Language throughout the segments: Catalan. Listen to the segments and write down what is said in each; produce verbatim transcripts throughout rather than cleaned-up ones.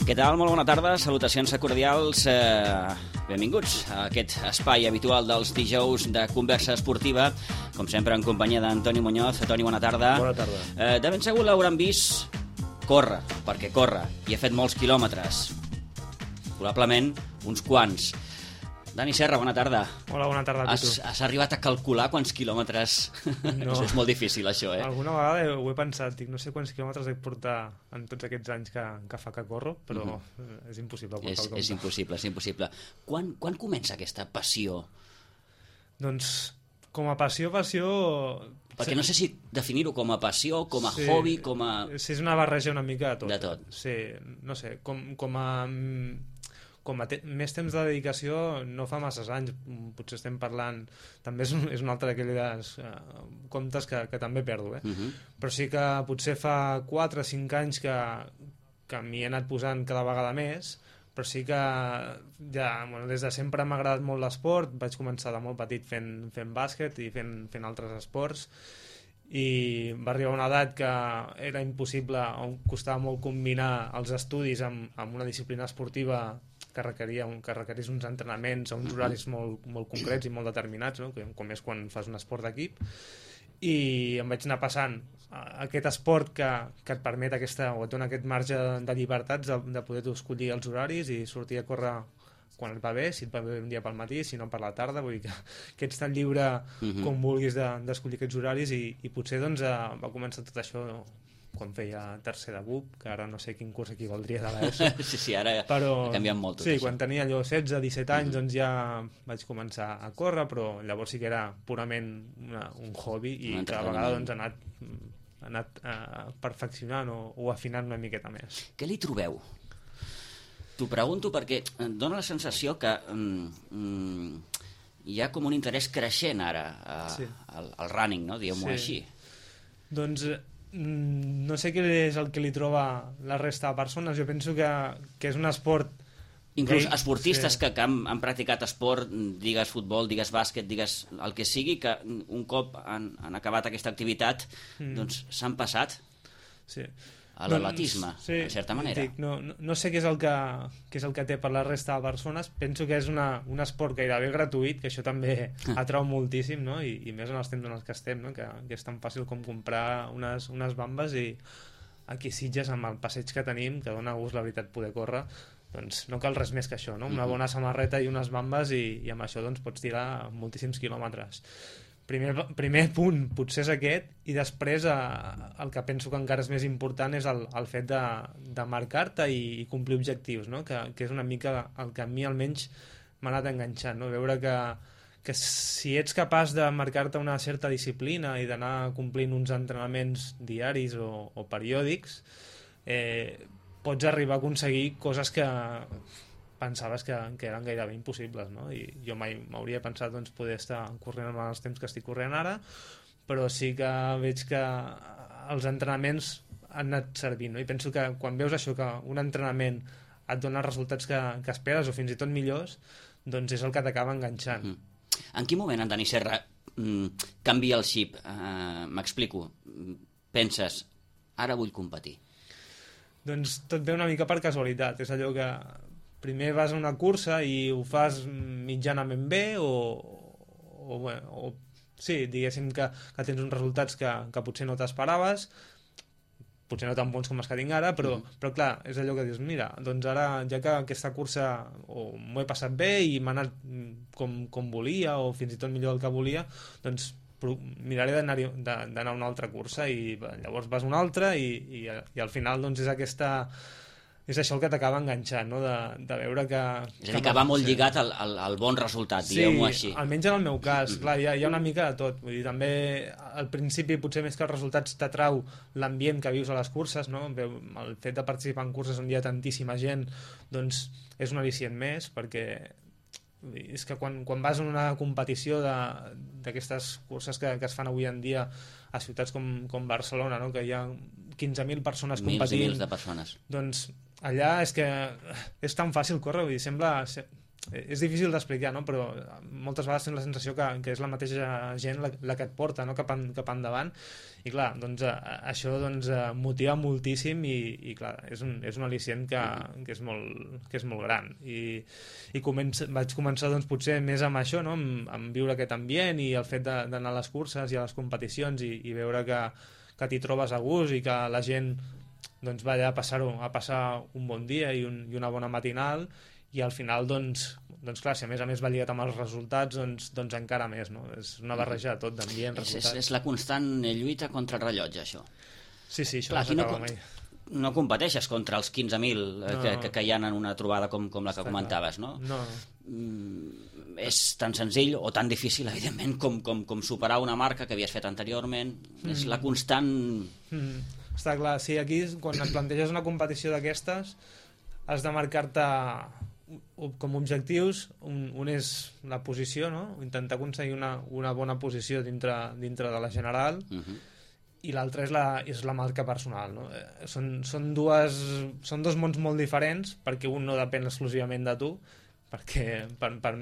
Què tal? Molt bona tarda, salutacions cordials, eh, benvinguts a aquest espai habitual dels dijous de conversa esportiva, com sempre en companyia d'Antoni Muñoz. Toni, bona tarda. Bona tarda. Eh, de ben segur l'hauran vist córrer, perquè corre, i ha fet molts quilòmetres, probablement uns quants. Dani Serra, bona tarda. Hola, bona tarda a tu. Has, has arribat a calcular quants quilòmetres? No. És molt difícil, això, eh? Alguna vegada ho he pensat, dic, no sé quants quilòmetres he portar en tots aquests anys que, que fa que corro, però uh-huh. és impossible. És, és impossible, és impossible. Quan, quan comença aquesta passió? Doncs, com a passió, passió... Perquè no sé si definir-ho com a passió, com a sí, hobby, com a... Sí, és una barreja una mica de tot. De tot. Sí, no sé, com, com a... com a te més temps de dedicació no fa masses anys, potser estem parlant, també és un, és un altre d'aquells uh, comptes que, que també perdo, eh? Uh-huh. Però sí que potser fa quatre o cinc anys que, que m'hi he anat posant cada vegada més, però sí que ja, bueno, des de sempre m'ha agradat molt l'esport, vaig començar de molt petit fent, fent bàsquet i fent, fent altres esports, i va arribar una edat que era impossible, on costava molt combinar els estudis amb, amb una disciplina esportiva que requeria un, que requerís uns entrenaments a uns horaris molt, molt concrets i molt determinats, no? Com és quan fas un esport d'equip, i em vaig anar passant a aquest esport que, que et permet aquesta, o et dona aquest marge de llibertats de, de poder escollir els horaris i sortir a córrer quan et va bé, si et va bé un dia pel matí, si no per la tarda, vull dir que, que ets tan lliure uh-huh. com vulguis d'escollir de, aquests horaris, i, i potser doncs, eh, va començar tot això quan feia tercer de B U P, que ara no sé quin curs equivaldria de l'ESO. Sí, sí, ara però, ha canviat molt tot sí, això. Quan tenia allò setze, disset anys, uh-huh. doncs ja vaig començar a córrer, però llavors sí que era purament una, un hobby, i cada vegada doncs, ha anat, ha anat uh, perfeccionant o, o afinant una miqueta més. Què li trobeu? T'ho pregunto perquè em dóna la sensació que mm, hi ha com un interès creixent ara a, sí. al, al running, no? Diguem-ho sí. així. Doncs no sé què és el que li troba la resta de persones. Jo penso que, que és un esport... Inclús que, esportistes sí. que, que han, han practicat esport, digues futbol, digues bàsquet, digues el que sigui, que un cop han, han acabat aquesta activitat, mm. doncs s'han passat sí. a l'atletisme, doncs, sí, en certa manera. Dic, no, no, no sé què és, el que, què és el que té per la resta de persones. Penso que és una, un esport gairebé gratuït, que això també atrau moltíssim, no? I, i més en els temps en els que estem, no? que, que és tan fàcil com comprar unes, unes bambes, i aquí a Sitges, amb el passeig que tenim, que dona gust, la veritat, poder córrer, doncs no cal res més que això, no? Una bona samarreta i unes bambes, i, i amb això doncs, pots tirar moltíssims quilòmetres. Primer, primer punt potser és aquest, i després eh, el que penso que encara és més important és el, el fet de, de marcar-te i, i complir objectius, no? que, que és una mica el que a mi almenys m'ha anat enganxant, no? Veure que, que si ets capaç de marcar-te una certa disciplina i d'anar complint uns entrenaments diaris o, o periòdics, eh, pots arribar a aconseguir coses que pensaves que, que eren gairebé impossibles, no? I jo mai m'hauria pensat doncs, poder estar corrent amb els temps que estic corrent ara, però sí que veig que els entrenaments han anat servint, no? I penso que quan veus això, que un entrenament et dona resultats que, que esperes o fins i tot millors, doncs és el que t'acaba enganxant. Mm. En quin moment, en Dani Serra, mm, canvia el xip? Uh, M'explico. Penses, ara vull competir. Doncs tot ve una mica per casualitat. És allò que primer vas a una cursa i ho fas mitjanament bé, o, o, bueno, o sí, diguéssim que, que tens uns resultats que, que potser no t'esperaves, potser no tan bons com els que tinc ara, però, mm. però clar, és allò que dius, mira, doncs ara, ja que aquesta cursa o m'ho he passat bé i m'ha anat com, com volia, o fins i tot millor del que volia, doncs miraré d'anar d'anar a una altra cursa, i llavors vas a una altra, i, i, i al final doncs és aquesta... és això el que t'acaba enganxant, no? de, de veure que... És a dir, que va molt lligat al, al, al bon resultat, sí, diguem-ho així. Sí, almenys en el meu cas. Clar, hi ha, hi ha una mica de tot. Vull dir, també al principi, potser més que els resultats, t'atrau l'ambient que vius a les curses, no? El fet de participar en curses on hi ha tantíssima gent, doncs és un al·licient més, perquè és que quan, quan vas a una competició d'aquestes curses que, que es fan avui en dia a ciutats com, com Barcelona, no? Que hi ha quinze mil persones competint... Mils i mils de persones. Doncs allà és que és tan fàcil córrer, vull dir, sembla, és difícil d'explicar, no? Però moltes vegades tens la sensació que, que és la mateixa gent la, la que et porta, no? cap, en, cap endavant, i clar, doncs, a, això doncs, motiva moltíssim i, i clar, és un, és un al·licient que, que, és molt, que és molt gran i, i comença, vaig començar doncs, potser més amb això, no? amb, amb viure aquest ambient i el fet d'anar a les curses i a les competicions i, i veure que, que t'hi trobes a gust i que la gent doncs, va allà a passar-ho, a passar un bon dia i, un, i una bona matinal, i al final, doncs, doncs clar, si a més a més va lligat amb els resultats, doncs, doncs encara més, no? És una barreja de tot, d'ambient, resultats. És, és la constant lluita contra el rellotge, això. Sí, sí, això clar, no s'acaba no, mai. No competeixes contra els quinze mil no, que, que, que hi ha en una trobada com, com la que comentaves, clar. no? No. Mm, és tan senzill o tan difícil, evidentment, com, com, com superar una marca que havies fet anteriorment. Mm. És la constant... Mm. Està clar, sí, aquí quan et planteges una competició d'aquestes has de marcar-te com objectius, un, un és la posició, no? Intentar aconseguir una, una bona posició dintre, dintre de la general, uh-huh. i l'altre és, la, és la marca personal, no? Eh, són, són, dues, són dos mons molt diferents, perquè un no depèn exclusivament de tu, perquè per, per,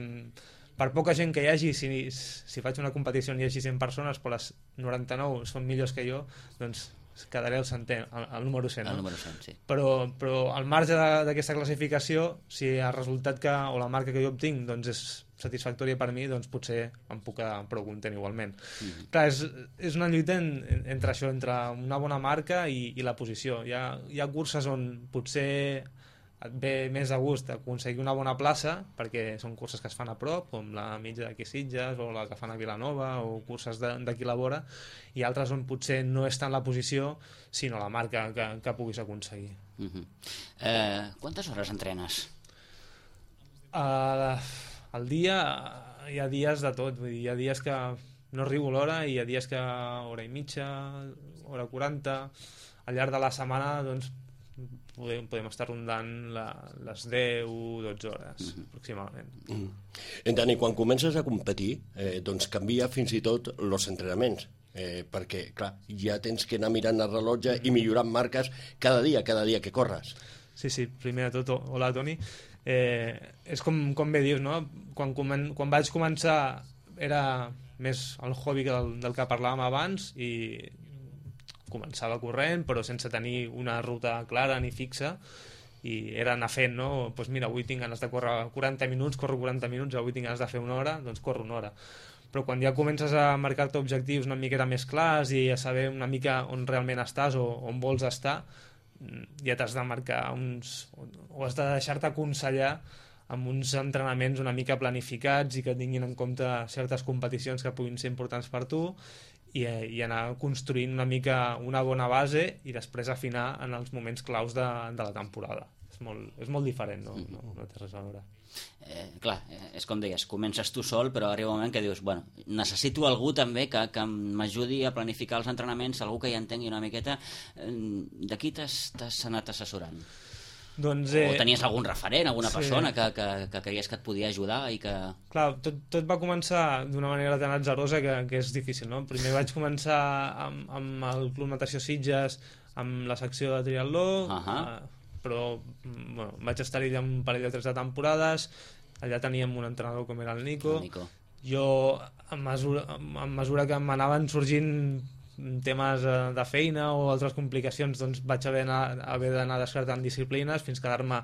per poca gent que hi hagi, si, si faig una competició on hi hagi cent persones, però les noranta-nou són millors que jo, doncs quedaré el centè, el, el número cent, no? El número cent, sí. Però, però al marge d'aquesta classificació, si el resultat que, o la marca que jo obtinc doncs és satisfactòria per mi, doncs potser em puc quedar prou content igualment. Mm-hmm. Clar, és, és una lluita en, entre això, entre una bona marca i, i la posició. Hi ha, hi ha curses on potser et ve més a gust aconseguir una bona plaça, perquè són curses que es fan a prop, com la mitja d'aquí Sitges o la que fan a Vilanova o curses d'aquí la vora, i altres on potser no és tant la posició sinó la marca que, que puguis aconseguir. Uh-huh. eh, Quantes hores entrenes? Uh, al dia hi ha dies de tot, vull dir, hi ha dies que no arribo a l'hora i hi ha dies que hora i mitja, hora quaranta. Al llarg de la setmana doncs podem, podem estar rondant la, les deu o dotze hores, mm-hmm. aproximadament. Mm. En Dani, quan comences a competir, eh, doncs canvia fins i tot els entrenaments, eh, perquè, clar, ja tens que anar mirant el rellotge mm-hmm. i millorant marques cada dia, cada dia que corres. Sí, sí, primer de tot, hola Toni. Eh, és com, com bé dius, no? Quan, comen, quan vaig començar era més el hobby del, del que parlàvem abans i començava corrent però sense tenir una ruta clara ni fixa i era anar fent, no? Pues mira, avui tinc ganes de córrer quaranta minuts, corro quaranta minuts, avui tinc ganes de fer una hora, doncs corro una hora. Però quan ja comences a marcar-te objectius una miqueta més clars i a saber una mica on realment estàs o on vols estar, ja t'has de marcar uns... o has de deixar-te aconsellar amb uns entrenaments una mica planificats i que tinguin en compte certes competicions que puguin ser importants per tu i, i anar construint una mica una bona base i després afinar en els moments claus de, de la temporada. És molt, és molt diferent, no, no, no té res a veure. Eh, clar, és com deies, comences tu sol però arriba un moment que dius, bueno, necessito algú també que, que m'ajudi a planificar els entrenaments, algú que hi entengui una miqueta. De qui t'has anat assessorant? Doncs, eh, o tenies algun referent, alguna sí. persona que, que, que creies que et podia ajudar i que... Clar, tot, tot va començar d'una manera tan atzarosa que, que és difícil, no? Primer vaig començar amb, amb el Club Natació Sitges, amb la secció de triatló, uh-huh. eh, però bueno, vaig estar allà un parell o tres de temporades, allà teníem un entrenador com era el Nico. El Nico. Jo, a mesura, a mesura que m'anaven sorgint temes de feina o altres complicacions, doncs vaig haver, anar, haver d'anar descartant disciplines fins quedar-me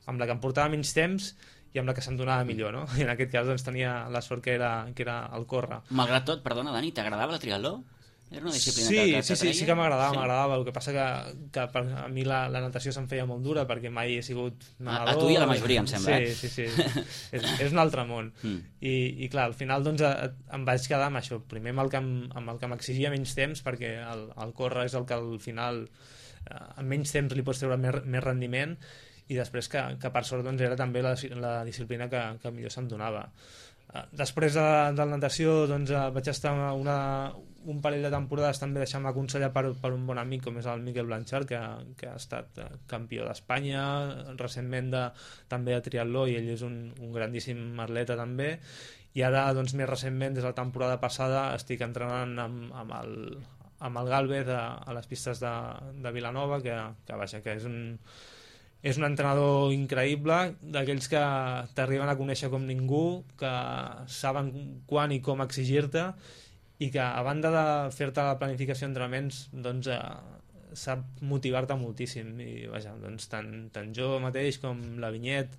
amb la que em portava menys temps i amb la que se'm donava millor, no? I en aquest cas doncs, tenia la sort que era, que era el córrer. Malgrat tot, perdona Dani, t'agradava la triatló? Era una disciplina sí, que, que sí, sí, sí que m'agradava, sí. m'agradava. El que passa que, que per a mi la, la natació se'm feia molt dura perquè mai he sigut nedador. A, a tu i a la majoria, em sembla. Sí, sí, sí. és, és un altre món. Mm. I, I clar, al final doncs, a, em vaig quedar amb això. Primer amb el que, amb el que m'exigia menys temps, perquè el, el córrer és el que al final amb menys temps li pots treure més, més rendiment, i després que, que per sort doncs, era també la, la disciplina que, que millor se'm donava. Després de, de la natació doncs, vaig estar una, un parell de temporades també deixant-me aconsellar per, per un bon amic com és el Miquel Blanchard, que, que ha estat campió d'Espanya recentment de, també de triatló, i ell és un, un grandíssim atleta també, i ara doncs, més recentment des de la temporada passada estic entrenant amb, amb, el, amb el Gálvez a, a les pistes de, de Vilanova, que, que, vaja, que és un és un entrenador increïble, d'aquells que t'arriben a conèixer com ningú, que saben quan i com exigir-te, i que a banda de fer-te la planificació d'entrenaments, doncs eh, sap motivar-te moltíssim. I vaja, doncs tant, tant jo mateix com la Vinyet,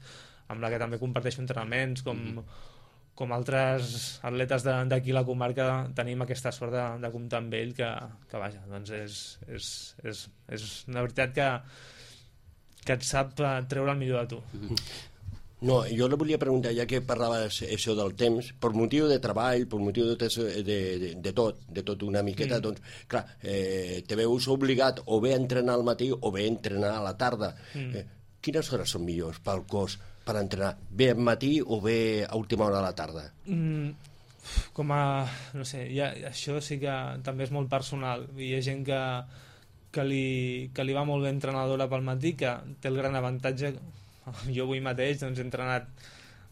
amb la que també comparteixo entrenaments, com, mm-hmm. com altres atletes d'aquí la comarca, tenim aquesta sort de, de comptar amb ell, que, que vaja, doncs és, és, és, és una veritat que, que et sap treure el millor de tu. Mm-hmm. No, jo le volia preguntar, ja que parlaves això del temps, per motiu de treball, per motiu de, de, de, de tot, de tot una miqueta, mm. doncs, clar, eh, te veus obligat o bé a entrenar al matí o bé a entrenar a la tarda. Mm. Eh, quines hores són millors pel cos per entrenar? Bé al matí o bé a última hora de la tarda? Mm, com a... no sé, ja, això sí que també és molt personal. Hi ha gent que, que, li, que li va molt bé entrenadora pel matí, que té el gran avantatge... Jo avui mateix doncs, he entrenat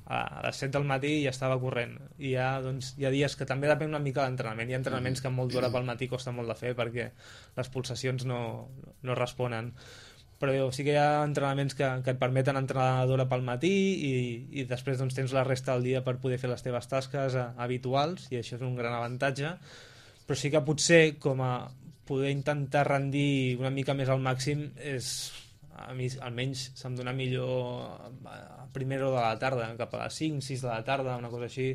a les set del matí i ja estava corrent. I hi ha, doncs, hi ha dies que també depèn una mica de l'entrenament. Hi ha entrenaments que amb molta hora pel matí costa molt de fer perquè les pulsacions no, no responen. Però sí que hi ha entrenaments que, que et permeten entrenar d'hora pel matí i, i després doncs, tens la resta del dia per poder fer les teves tasques a, habituals, i això és un gran avantatge. Però sí que potser com a poder intentar rendir una mica més al màxim és... a mi almenys se'm dona millor a primera hora de la tarda, cap a les cinc, sis de la tarda, una cosa així.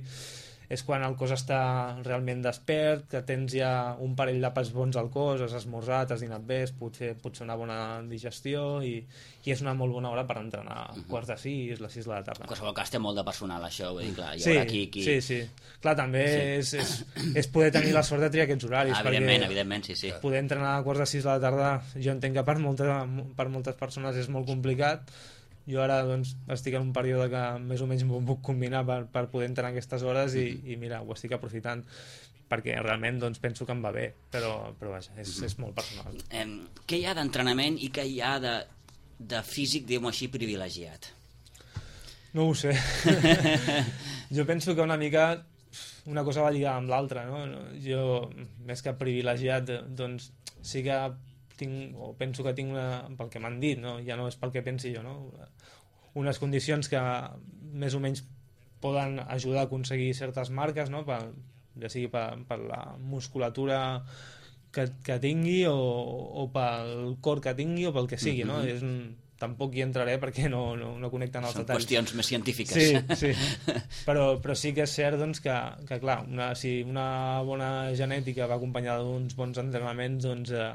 És quan el cos està realment despert, que tens ja un parell d'àpats bons al cos, has esmorzat, has dinat bé, potser, potser una bona digestió, i, i és una molt bona hora per entrenar uh-huh. quarts de sis, les sis de la tarda. En qualsevol cas té molt de personal, això, vull dir, clar, hi sí, haurà qui... qui... Sí, sí. Clar, també sí. És, és, és poder tenir la sort de triar aquests horaris. Ah, evidentment, evidentment, sí, sí. Poder entrenar a quarts de sis de la tarda, jo entenc que per, molta, per moltes persones és molt complicat. Jo ara doncs, estic en un període que més o menys m'ho puc combinar per, per poder entrenar aquestes hores i, i mira, ho estic aprofitant perquè realment doncs, penso que em va bé, però, però vaja, és, és molt personal. Eh, què hi ha d'entrenament i què hi ha de, de físic, diguem-ho així, privilegiat? No ho sé. Jo penso que una mica una cosa va lligada amb l'altra, no? Jo, més que privilegiat, doncs sí que tinc, o penso que tinc una, pel que m'han dit, no? Ja no és pel que pensi jo, no? Unes condicions que més o menys poden ajudar a aconseguir certes marques, no? Per, ja sigui per, per la musculatura que, que tingui o, o pel cor que tingui o pel que sigui, no? Mm-hmm. És un, tampoc hi entraré perquè no, no, no connecten els Són detalls. Són qüestions més científiques. Sí, sí. Però, però sí que és cert doncs, que, que clar, una, si una bona genètica va acompanyada d'uns bons entrenaments, doncs eh,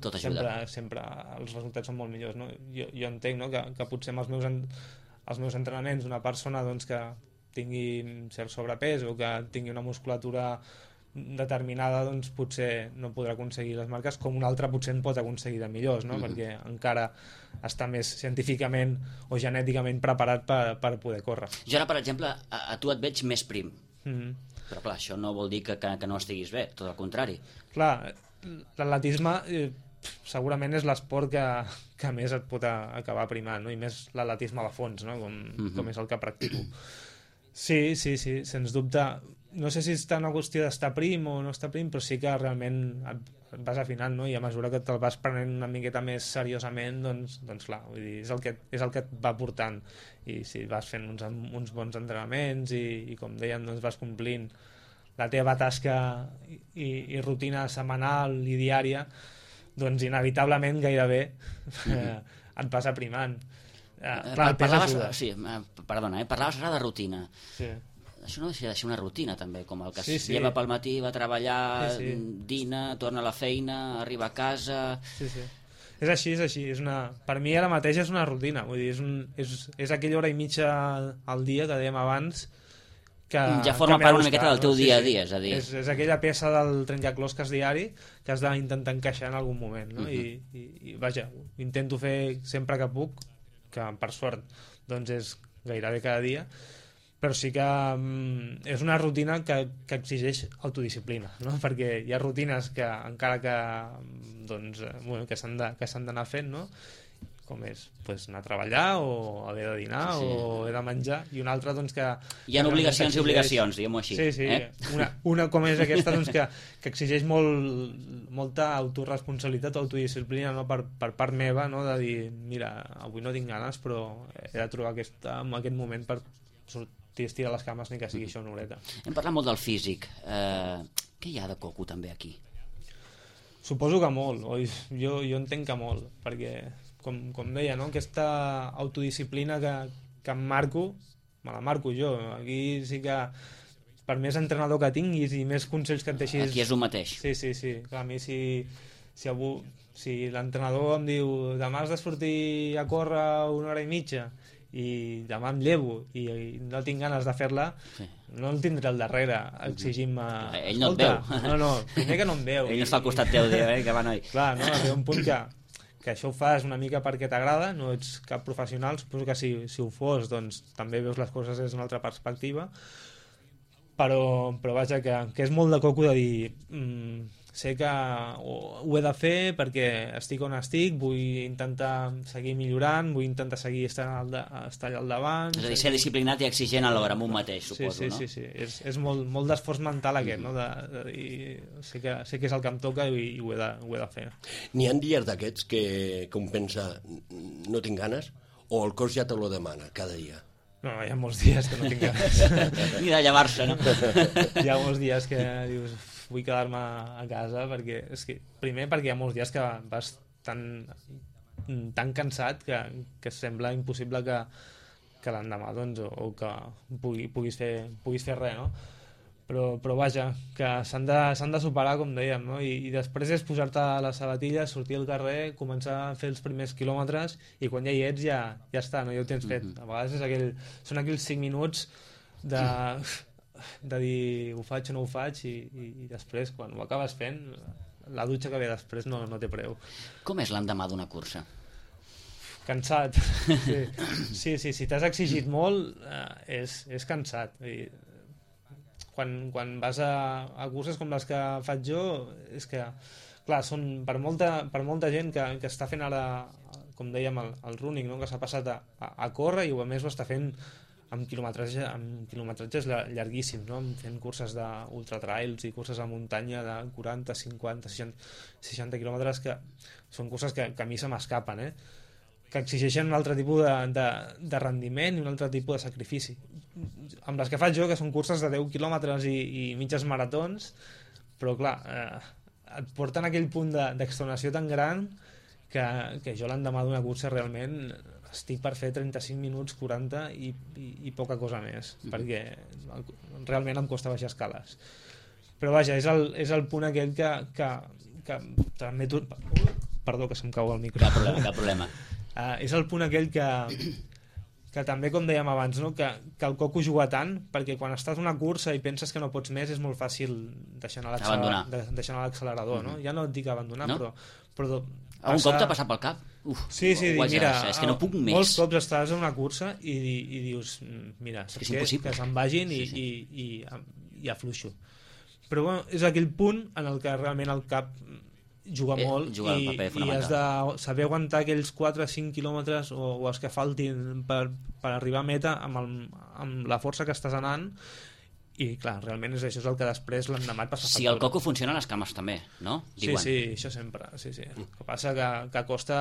tot ajuda. Sempre, sempre els resultats són molt millors, no? Jo, jo entenc, no? que, que potser amb els meus, en, els meus entrenaments una persona doncs, que tingui cert sobrepès o que tingui una musculatura determinada, doncs potser no podrà aconseguir les marques com una altra potser en pot aconseguir de millors, no? Mm-hmm. Perquè encara està més científicament o genèticament preparat per, per poder córrer. Jo ara, per exemple, a, a tu et veig més prim, mm-hmm. però clar, això no vol dir que, que, que no estiguis bé, tot el contrari. Clar, l'atletisme eh, segurament és l'esport que, que més et pot a, acabar primant, no? I més l'atletisme de fons, no? Com, mm-hmm. com és el que practico. Sí, sí, sí, sens dubte. No sé si està una qüestió d'estar prim o no estar prim, però sí que realment et, et vas afinant, no? I a mesura que te'l vas prenent una miqueta més seriosament, doncs, doncs clar, vull dir, és el que, és el que et va portant. I si vas fent uns, uns bons entrenaments i, i com deien, doncs vas complint la teva tasca i, i, i rutina setmanal i diària, doncs inevitablement gairebé mm-hmm. et vas aprimant. Eh, clar, parlaves, sí, perdona, eh? Parlaves ara de rutina. Sí. Això no deixa de ser una rutina també, com el que sí, es sí. lleva pel matí, va a treballar, sí, sí. dina, torna a la feina, arriba a casa... Sí, sí. És així, és així. És una... Per mi ara mateix és una rutina. Vull dir, és, un... és, és aquella hora i mitja al dia que dèiem abans que... Ja forma part una miqueta del teu dia a dia, és a dir... És, és aquella peça del trencaclosques diari que has d'intentar encaixar en algun moment, no? Uh-huh. I, i, I vaja, intento fer sempre que puc, que per sort doncs és gairebé cada dia, però sí que um, és una rutina que, que exigeix autodisciplina, no? Perquè hi ha rutines que encara que doncs, bueno, que s'han de, que s'han d'anar fent, no? com és pues, anar a treballar o haver de dinar sí. o haver de menjar, i una altra doncs que... Hi ha obligacions i obligacions, diguem-ho així. Sí, sí, eh? una, una com és aquesta doncs, que, que exigeix molt, molta autoresponsabilitat o autodisciplina, no? per, per part meva, no? De dir, mira, avui no tinc ganes però he de trobar aquest, en aquest moment per sortir a estirar les cames ni que sigui això una horeta. Hem parlat molt del físic, eh, què hi ha de coco també aquí? Suposo que molt, oi? Jo, jo entenc que molt, perquè, com, com deia, no? Aquesta autodisciplina que, que em marco, me la marco jo. Aquí sí que, per més entrenador que tinguis i més consells que et deixis... Aquí és un mateix. Sí, sí, sí. Clar, a mi si, si, avui, si l'entrenador em diu demà has de sortir a córrer una hora i mitja i demà em llevo i, i no tinc ganes de fer-la, sí. no el tindré al darrere exigint-me... Ell no et veu. No, no, primer que no em veu. Ell no està al costat teu, eh, que va, noi. Clar, no, arriba un punt que, que això ho fas una mica perquè t'agrada, no ets cap professional, suposo que si, si ho fos, doncs també veus les coses des d'una altra perspectiva, però, però vaja, que, que és molt de coco de dir... Mm, sé que ho, ho he de fer perquè estic on estic, vull intentar seguir millorant, vull intentar seguir estar al, de, estar allà al davant. És a dir, ser disciplinat i exigent alhora amb un mateix, suposo, sí, sí, no? Sí, sí, sí. És, és molt, molt d'esforç mental aquest, no? De, de dir, sé, que, sé que és el que em toca i, i ho, he de, ho he de fer. N'hi ha dies d'aquests que, que un pensa no tinc ganes, o el cos ja te lo demana cada dia? No, hi ha molts dies que no tinc ganes. Ni de llevar-se, no? Hi ha molts dies que dius... vull quedar-me a casa perquè és que, primer perquè hi ha molts dies que vas tan, tan cansat que, que sembla impossible que, que l'endemà doncs, o, o que pugui, puguis, fer, puguis fer res, no? Però, però vaja, que s'han de, s'han de superar, com dèiem, no? I, i després és posar-te les sabatilles, sortir al carrer, començar a fer els primers quilòmetres i quan ja hi ets ja, ja està, no? Ja ho tens fet. A vegades és aquell, són aquells cinc minuts de... de dir ho faig o no ho faig i, i, i després quan ho acabes fent la dutxa que ve després no, no té preu. Com és l'endemà d'una cursa? Cansat, sí, sí, sí si t'has exigit molt eh, és, és cansat I, quan, quan vas a, a curses com les que faig jo és que, clar, són per molta, per molta gent que, que està fent ara com dèiem el, el running, no? Que s'ha passat a, a, a córrer i a més ho està fent amb quilometratge, amb quilometratges llarguíssims, no? Fent curses d'ultratrails i curses a muntanya de quaranta, cinquanta, seixanta, seixanta quilòmetres que són curses que, que a mi se m'escapen, eh? Que exigeixen un altre tipus de, de, de rendiment i un altre tipus de sacrifici. Amb les que faig jo, que són curses de deu quilòmetres i, i mitges maratons, però clar, eh, et porten a aquell punt d'extenuació tan gran que, que jo l'endemà d'una cursa realment... estic per fer trenta-cinc minuts, quaranta i, i, i poca cosa més, mm. perquè realment em costa baixar escales. Però vaja, és el, és el punt aquell que, que, que també tu... Perdó, que se'm cau el micro. Cap problema, cap problema. Uh, és el punt aquell que, que també, com dèiem abans, no? que, que el coco juga tant, perquè quan estàs en una cursa i penses que no pots més, és molt fàcil deixar anar l'accelerador. Mm-hmm. No? Ja no et dic abandonar, no? però... però Algun cop t'ha passat pel cap? Uf, sí, sí, dic, mira, és que no puc més. Molts cops estàs en una cursa i, i dius, mira, saps què? Que se'n vagin i, sí, sí. i, i, i afluixo. Però bueno, és aquell punt en el que realment el cap juga eh, molt juga i, i has de saber aguantar aquells quatre o cinc quilòmetres o, o els que faltin per, per arribar a meta amb, el, amb la força que estàs anant. I clar, realment és això és el que després l'endemà et passa factura. Si el coco funciona, les cames també, no? Diuen. Sí, sí, això sempre, sí, sí. El que passa que, que costa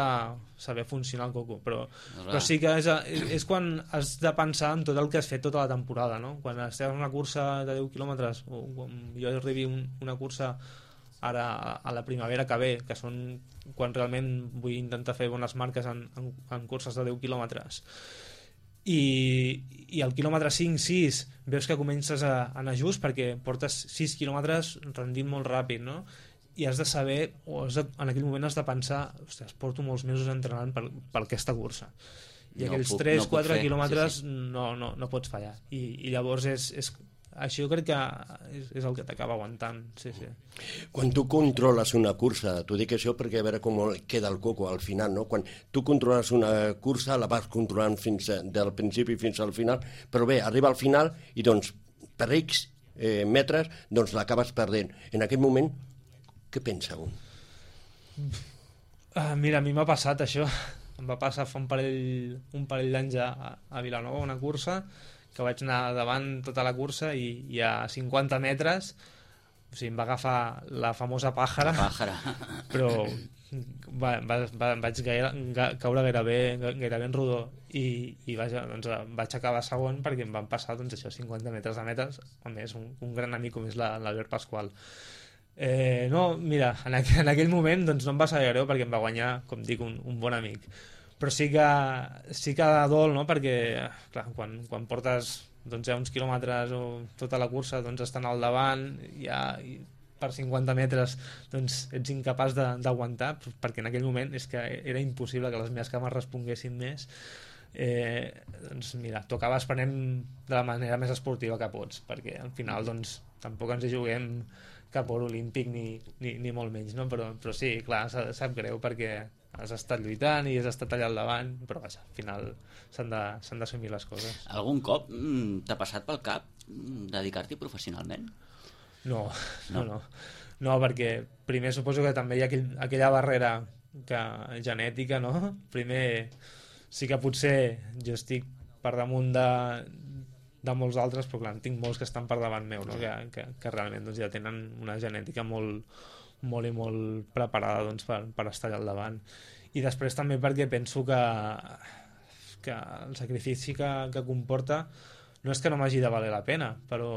saber funcionar el coco, però, no, però sí que és, és quan has de pensar en tot el que has fet tota la temporada, no? Quan estàs en una cursa de deu quilòmetres, o quan jo arribi un, una cursa ara a la primavera que ve, que són quan realment vull intentar fer bones marques en, en, en curses de deu quilòmetres, i, i al quilòmetre cinc sis veus que comences a anar just perquè portes sis quilòmetres rendint molt ràpid, no? I has de saber, o has de, en aquell moment has de pensar, ostres, porto molts mesos entrenant per, per aquesta cursa i no aquells puc, tres no quatre quilòmetres sí, sí. No, no, no pots fallar i, i llavors és, és això crec que és, és el que t'acaba aguantant, sí, sí. Quan tu controles una cursa, t'ho dic això perquè a veure com queda el coco al final, no? Quan tu controles una cursa la vas controlant fins a, del principi fins al final, però bé, arriba al final i doncs per X eh, metres doncs l'acabes perdent. En aquest moment, què pensa un? Uh, mira, a mi m'ha passat això. em va passar fa un parell, un parell d'anys a, a Vilanova, una cursa, que vaig anar davant tota la cursa i, i a cinquanta metres, o sigui, em va agafar la famosa pàjara, La pàjara. però va, va, va, vaig gaire, ga, caure gairebé, gairebé en rodó i, i vaja, doncs, vaig acabar segon perquè em van passar doncs, això, cinquanta metres de metres, a més un, un gran amic com és l'Albert Pasqual. Eh, no, mira, en aquell, en aquell moment doncs, no em va saber greu perquè em va guanyar, com dic, un, un bon amic, però sí que, sí que dol, no? Perquè clar, quan, quan portes doncs, ja uns quilòmetres o tota la cursa doncs, estan al davant ja, i per cinquanta metres doncs, ets incapaç d'aguantar, perquè en aquell moment és que era impossible que les meves cames responguessin més. Eh, doncs mira, t'ho acabes prenent de la manera més esportiva que pots, perquè al final doncs, tampoc ens hi juguem cap or olímpic ni, ni, ni molt menys, no? però, però sí, clar, sap greu perquè has estat lluitant i has estat allà al davant, però vaja, al final s'han d'assumir les coses. Algun cop mm, t'ha passat pel cap mm, dedicar-t'hi professionalment? No, no, no, no, perquè primer suposo que també hi ha aquell, aquella barrera que, genètica, no? Primer sí que potser jo estic per damunt de, de molts altres, però clar, en tinc molts que estan per davant meu, no? que, que, que realment doncs, ja tenen una genètica molt, molt i molt preparada doncs, per, per estar allà al davant. I després també perquè penso que, que el sacrifici que, que comporta no és que no m'hagi de valer la pena, però,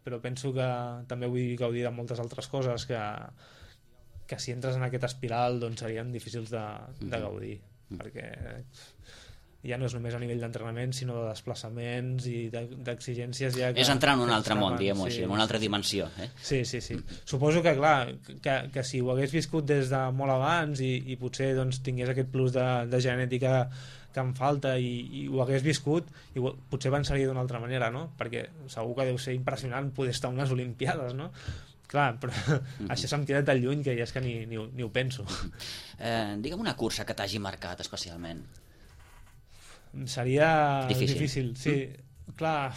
però penso que també vull gaudir de moltes altres coses que, que si entres en aquest espiral doncs serien difícils de, de gaudir, mm-hmm. perquè ja no és només a nivell d'entrenament sinó de desplaçaments i d'exigències ja que, és entrar en un que altre món, diguem-ho sí, així, en una altra dimensió, eh? sí, sí, sí. Suposo que clar que, que si ho hagués viscut des de molt abans i, i potser doncs, tingués aquest plus de, de genètica que em falta i, i ho hagués viscut i ho, potser pensaria d'una altra manera, no? Perquè segur que deu ser impressionant poder estar a unes Olimpiades, no? Clar, però mm-hmm. això se'm queda tan lluny que ja és que ni, ni, ni ho penso. Eh, digue'm una cursa que t'hagi marcat especialment. Seria difícil, difícil sí. Mm. Clar,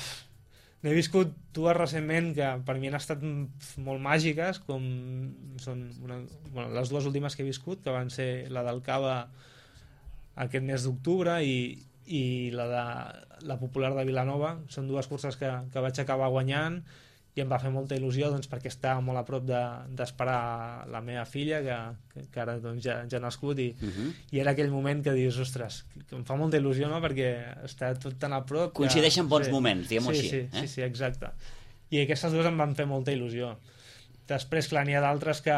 n'he viscut dues recentment que per mi han estat molt màgiques, com són una, bueno, les dues últimes que he viscut, que van ser la del Cava aquest mes d'octubre i, i la de la popular de Vilanova. Són dues curses que, que vaig acabar guanyant i em va fer molta il·lusió doncs, perquè estava molt a prop d'esperar de, la meva filla que, que, que ara doncs, ja, ja ha nascut i, uh-huh. i era aquell moment que dius, ostres, que em fa molta il·lusió, no? Perquè està tot tan a prop que... Coincideixen bons sí, moments, diguem-ho sí, així. Sí, eh? sí, sí, exacte. I aquestes dues em van fer molta il·lusió. Després, clar, n'hi ha d'altres que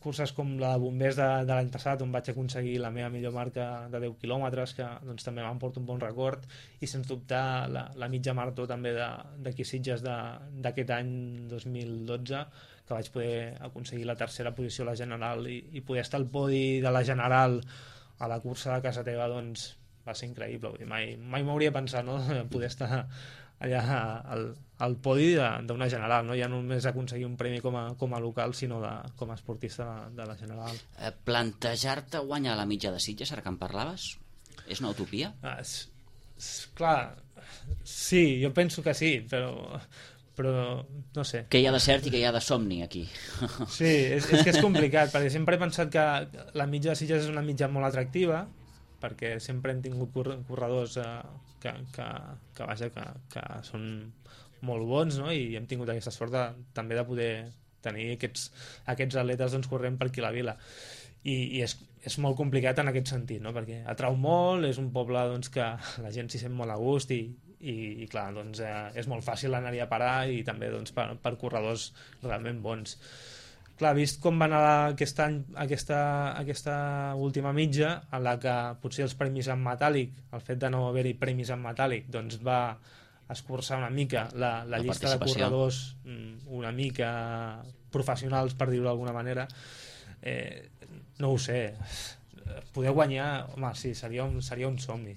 curses com la de bombers de, de l'any passat, on vaig aconseguir la meva millor marca de deu quilòmetres, que doncs, també m'emporta un bon record, i sens dubte la, la mitja marató també d'aquí Sitges d'aquest any dos mil dotze, que vaig poder aconseguir la tercera posició a la general i, i poder estar al podi de la general a la cursa de casa teva, doncs va ser increïble. Vull dir, mai mai m'hauria pensat, no?, poder estar allà al, al podi d'una general, no? Ja no només aconseguir un premi com a, com a local, sinó de, com a esportista de, de la general. Eh, plantejar-te guanyar la mitja de Sitges, ara que en parlaves, és una utopia? Ah, és, és, clar, sí, jo penso que sí, però, però no sé. Què hi ha de cert i què hi ha de somni aquí? Sí, és, és que és complicat, perquè sempre he pensat que la mitja de Sitges és una mitja molt atractiva, perquè sempre hem tingut corredors eh, que, que, que, vaja, que, que són molt bons, no? I hem tingut aquesta sort de, també de poder tenir aquests, aquests atletes doncs, corrent per aquí a la vila. I, i és, és molt complicat en aquest sentit, no? Perquè atrau molt, és un poble doncs, que la gent s'hi sent molt a gust i, i, i clar, doncs, eh, és molt fàcil anar-hi a parar i també doncs, per, per corredors realment bons. Clar, vist com va anar aquest any, aquesta, aquesta última mitja, en la que potser els premis en metàl·lic, el fet de no haver-hi premis en metàl·lic, doncs va escurçar una mica la, la, la llista de corredors una mica professionals, per dir-ho d'alguna manera. Eh, no ho sé. Poder guanyar, home, sí, seria un, seria un somni.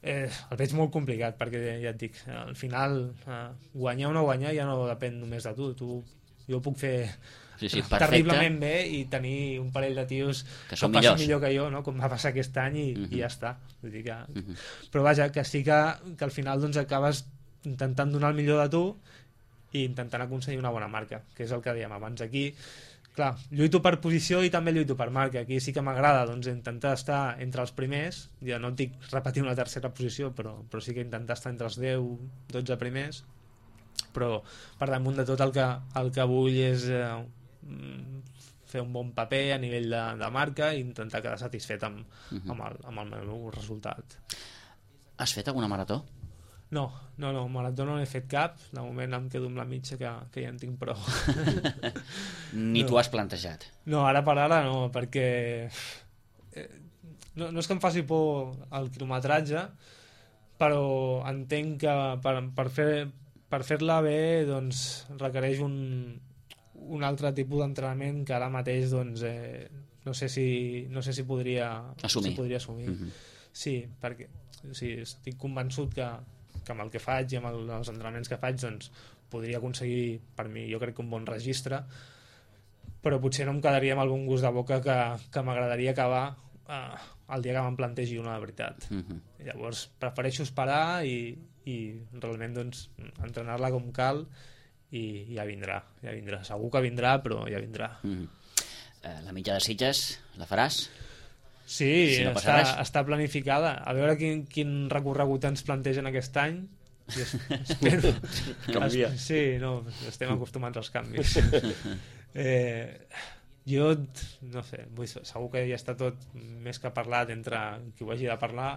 Eh, el veig molt complicat, perquè ja et dic, al final eh, guanyar o no guanyar ja no depèn només de tu. Tu jo puc fer sí, sí, terriblement bé i tenir un parell de tios que, que són passin millors. millor que jo, no? Com va passar aquest any i, uh-huh. i ja està. Vull dir que... uh-huh. Però vaja, que sí que, que al final doncs, acabes intentant donar el millor de tu i intentant aconseguir una bona marca, que és el que dèiem abans aquí. clar, lluito per posició i també lluito per marca. Aquí sí que m'agrada doncs, intentar estar entre els primers, ja no et dic repetir una tercera posició, però, però sí que intentar estar entre els deu dotze primers, però per damunt de tot el que, el que vull és eh, fer un bon paper a nivell de, de marca i intentar quedar satisfet amb, uh-huh. amb, el, amb el meu resultat. Has fet alguna marató? No, no, no, marató no n'he fet cap. De moment em quedo amb la mitja que, que ja en tinc prou. Ni no. t'ho has plantejat? No, ara per ara no, perquè eh, no, no és que em faci por el quilometratge, però entenc que per, per, fer, per fer-la bé doncs, requereix un, un altre tipus d'entrenament que ara mateix doncs, eh, no sé si, no sé si podria assumir. Si podria assumir. Mm-hmm. Sí, perquè o sigui, estic convençut que que amb el que faig i amb el, els entrenaments que faig doncs podria aconseguir, per mi, jo crec que un bon registre, però potser no em quedaria amb el bon gust de boca que, que m'agradaria acabar eh, el dia que me'n plantegi una de veritat. Uh-huh. Llavors prefereixo esperar i, i realment doncs, entrenar-la com cal i ja vindrà, ja vindrà. Segur que vindrà, però ja vindrà. Uh-huh. eh, La mitja de Sitges la faràs? Sí, si no està, està planificada. A veure quin, quin recorregut ens plantegen aquest any. I es, espero... Canvia. Es, sí, no, estem acostumats als canvis. eh, jo, no sé, vull, segur que ja està tot més que parlat entre qui ho hagi de parlar.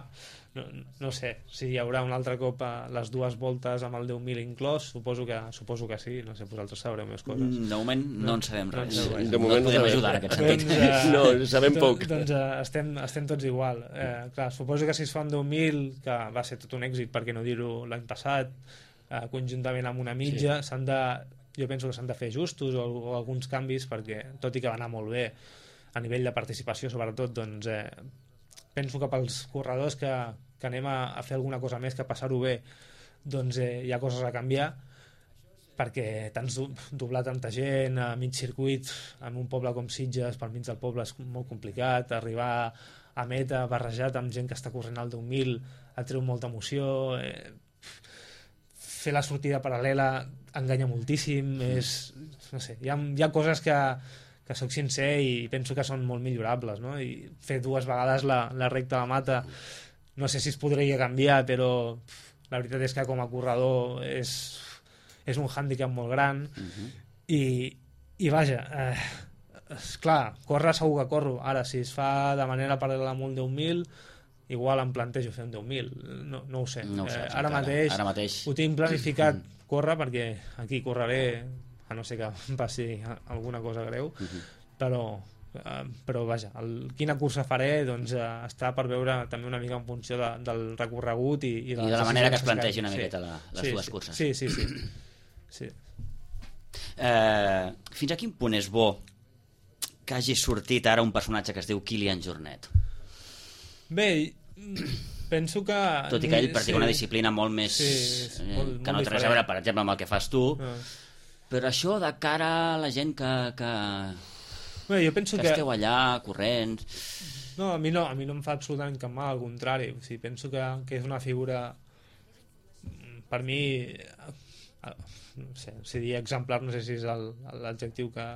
No, no sé, si hi haurà un altre cop a les dues voltes amb el deu mil inclòs, suposo que, suposo que sí, no sé, vosaltres sabreu més coses. De moment no, no en sabem res. No, no, de moment no podem no ajudar en aquest sentit. Doncs, uh, no, sabem doncs, poc. Doncs uh, estem, estem tots igual. Eh, clar, suposo que si es fa un deu mil, que va ser tot un èxit, perquè no dir-ho l'any passat, eh, conjuntament amb una mitja, sí. s'han de, jo penso que s'han de fer ajustos o, o alguns canvis, perquè tot i que va anar molt bé a nivell de participació, sobretot, doncs eh, penso que pels corredors que, que anem a, a fer alguna cosa més que passar-ho bé, doncs eh, hi ha coses a canviar, perquè tants doblar tanta gent a mig circuit en un poble com Sitges, pel mig del poble és molt complicat, arribar a meta barrejat amb gent que està corrent al deu mil et treu molta emoció, eh, fer la sortida paral·lela enganya moltíssim, és, no sé, hi ha, hi ha coses que que soc sincer i penso que són molt millorables, no? I fer dues vegades la, la recta de mata no sé si es podria canviar, però la veritat és que com a corredor és, és un hàndicap molt gran. Uh-huh. i, i vaja eh, esclar, córrer segur que corro, ara si es fa de manera paral·lela amb un deu mil igual em plantejo fer un deu mil, no, no ho sé, no ho sé eh, ara, mateix ara mateix ho tinc planificat córrer perquè aquí correré a no sé que passi alguna cosa greu, uh-huh. però, eh, però vaja, el, quina cursa faré doncs eh, està per veure també una mica en funció de, del recorregut i, i, de, I de la manera que es plantegi una sí. miqueta la, les sí, dues sí. curses. Sí, sí, sí. sí. Eh, fins a quin punt és bo que hagi sortit ara un personatge que es diu Kilian Jornet? Bé, penso que... Tot i que ell practica sí. una disciplina molt més... Sí, eh, molt, que no molt té res a veure, per exemple, amb el que fas tu, no. Però això de cara a la gent que, que, Bé, jo penso que, que esteu allà corrents... No, a mi no, a mi no em fa absolutament cap mal, al contrari. O sigui, penso que, que és una figura, per mi, no sé, si dir exemplar, no sé si és el, l'adjectiu que,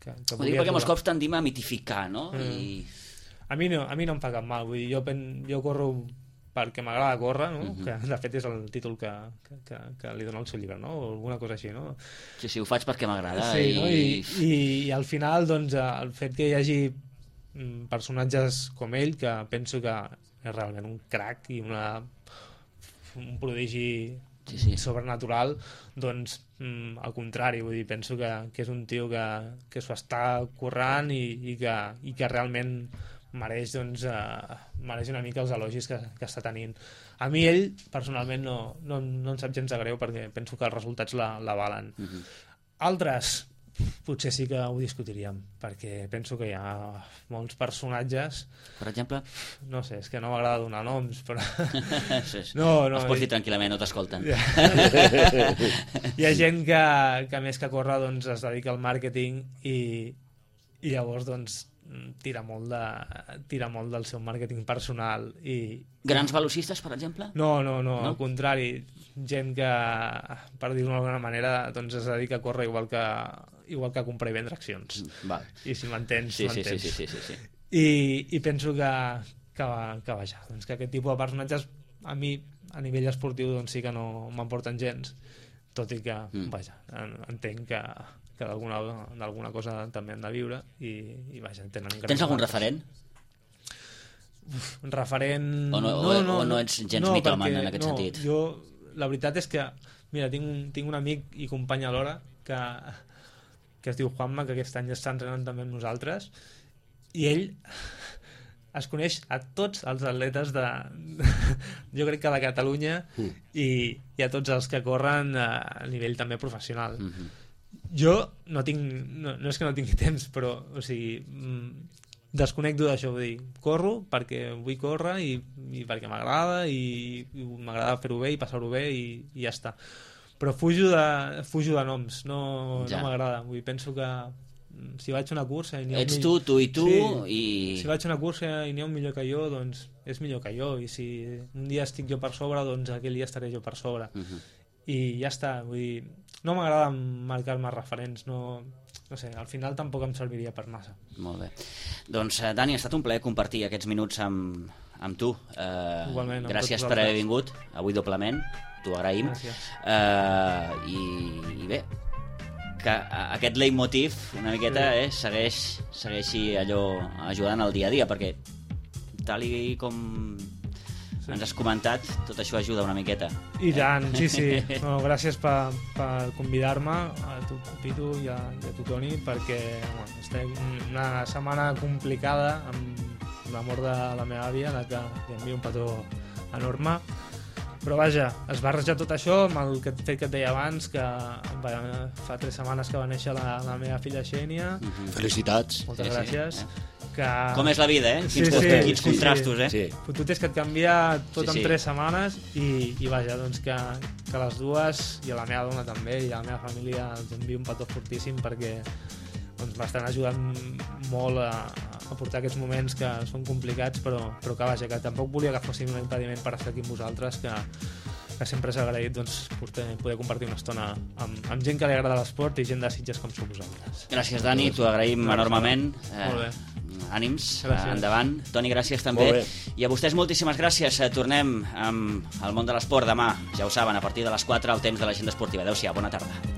que, que Ho dic perquè molts cops tendim a mitificar, no? Mm. I... A mi no, a mi no em fa cap mal, vull dir, jo, pen, jo corro perquè m'agrada córrer, no? Uh-huh. Que de fet és el títol que, que, que, que li dona el seu llibre, no? O alguna cosa així, no? Sí, sí, ho faig perquè m'agrada. Sí, i... no? I, i, i al final, doncs, el fet que hi hagi personatges com ell, que penso que és realment un crac i una, un prodigi sí, sí. sobrenatural, doncs mm, al contrari, vull dir, penso que, que és un tio que, que s'ho està currant i, i, que, i que realment mereix, doncs, eh, mereix una mica els elogis que, que està tenint. A mi ell, personalment, no, no, no em sap gens de greu perquè penso que els resultats la, la valen. Uh-huh. Altres, potser sí que ho discutiríem, perquè penso que hi ha molts personatges... Per exemple? No sé, és que no m'agrada donar noms, però... sí, sí. No, no, els pots dir tranquil·lament, no t'escolten. Hi ha gent que, que més que córrer doncs, es dedica al màrqueting i, i llavors doncs tira molt, de, tira molt del seu màrqueting personal i... Grans velocistes, per exemple? No, no, no, no? al contrari, gent que, per dir-ho d'alguna manera, doncs es dedica a córrer igual que, igual que comprar i vendre accions. Val. I si m'entens, sí, sí, m'entens. sí, sí, sí, sí, sí. I, i penso que, que, que vaja, doncs que aquest tipus de personatges a mi, a nivell esportiu, doncs sí que no m'emporten gens, tot i que, mm. vaja, entenc que, que d'alguna cosa també han de viure i, i vaja, tenen... Tens algun referent? Uf, referent... O no, no, no, o no ets gens no, mitòman en aquest no, sentit? Jo, la veritat és que, mira, tinc un, tinc un amic i company alhora que, que es diu Juanma, que aquest any està entrenant també amb nosaltres, i ell es coneix a tots els atletes de, jo crec que de Catalunya, mm. i, i a tots els que corren a nivell també professional. Mm-hmm. Jo no tinc, no, no és que no tingui temps, però, o sigui, desconnecto d'això, vull dir, corro perquè vull córrer i, i perquè m'agrada i, i m'agrada fer-ho bé i passar-ho bé i, i ja està. Però fujo de, fujo de noms, no, ja. no m'agrada, vull dir, penso que si vaig a una cursa i n'hi ha ets un tu, tu i tu sí, i... si vaig a una cursa i n'hi ha un millor que jo, doncs és millor que jo, i si un dia estic jo per sobre, doncs aquell dia estaré jo per sobre. Uh-huh. I ja està, vull dir, no m'agrada marcar-me referents, no, no sé, al final tampoc em serviria per massa. Molt bé. Doncs, eh, Dani, ha estat un plaer compartir aquests minuts amb, amb tu. Eh, Igualment, amb gràcies per haver vingut, avui doblement, t'ho agraïm. Eh, i, I bé, que aquest leitmotiv una miqueta eh, segueix, segueixi allò ajudant al dia a dia, perquè tal i com sí. ens has comentat, tot això ajuda una miqueta. I tant, sí, sí. No, gràcies per, per convidar-me a tu, Pitu, i a, i a tu, Toni, perquè bueno, estem una setmana complicada amb la mort de la meva àvia, la que li envio un petó enorme. Però vaja, es barreja tot això amb el que, fet que et deia abans, que va, fa tres setmanes que va néixer la, la meva filla Xènia. Mm-hmm. Felicitats. Moltes sí, gràcies. Sí, eh? Que... Com és la vida, eh? Quins, sí, sí, quins sí, contrastos, sí. eh? Fotut és que et canvia tot sí, en sí. tres setmanes i, i vaja, doncs que, que les dues, i a la meva dona també, i a la meva família els envio un petó fortíssim perquè doncs, m'estan ajudant molt a, a portar aquests moments que són complicats, però, però que vaja, que tampoc volia que fossin un impediment per estar aquí amb vosaltres, que, que sempre és agraït doncs, poder, poder compartir una estona amb, amb gent que li agrada l'esport i gent de Sitges com sou vosaltres. Gràcies, Dani, t'ho agraïm gràcies, enormement. Eh, molt bé. Ànims, gràcies. Endavant. Toni, gràcies també. I a vostès moltíssimes gràcies. Tornem amb el món de l'esport demà, ja ho saben, a partir de les quatre al temps de l'agenda esportiva. Adéu-siau, bona tarda.